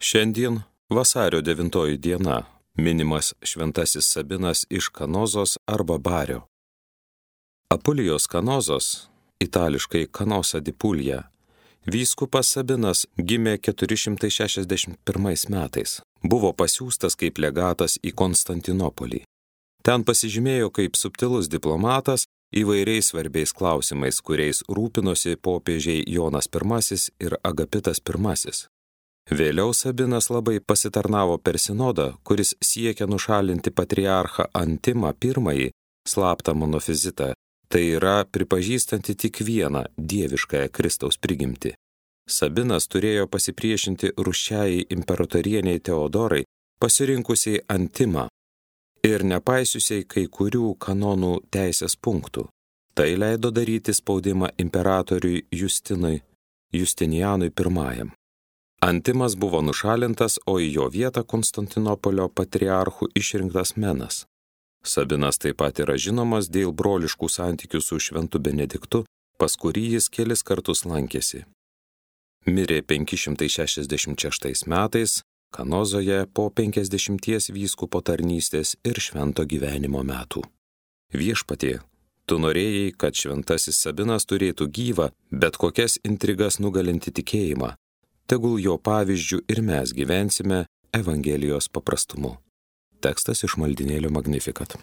Šiandien vasario 9 diena minimas šventasis Sabinas iš Kanozos arba Bario. Apulijos Kanozos, itališkai Canosa di Puglia, vyskupas Sabinas gimė 461 metais. Buvo pasiųstas kaip legatas į Konstantinopolį. Ten pasižymėjo kaip subtilus diplomatas įvairiais svarbiais klausimais, kuriais rūpinosi popiežiai Jonas I ir Agapitas I. Vėliau Sabinas labai pasitarnavo per sinodą, kuris siekia nušalinti patriarchą Antimą I slaptą monofizitą, tai yra pripažįstanti tik vieną dieviškąją Kristaus prigimtį. Sabinas turėjo pasipriešinti rūsčiajai imperatorieniai Teodorai, pasirinkusiai Antimą ir nepaisiusiai kai kurių kanonų teisės punktų. Tai leido daryti spaudimą imperatoriui Justinianui I. Antimas buvo nušalintas, o į jo vietą Konstantinopolio patriarchu išrinktas Menas. Sabinas taip pat yra žinomas dėl broliškų santykių su šventu Benediktu, pas kurį jis kelis kartus lankėsi. Mirė 566 metais Kanozoje po 50 vyskupo tarnystės ir švento gyvenimo metų. Viešpatie, tu norėjai, kad šventasis Sabinas turėtų gyvą, bet kokias intrigas nugalinti tikėjimą. Tegul jo pavyzdžių ir mes gyvensime Evangelijos paprastumu. Tekstas iš maldynėlio Magnificat.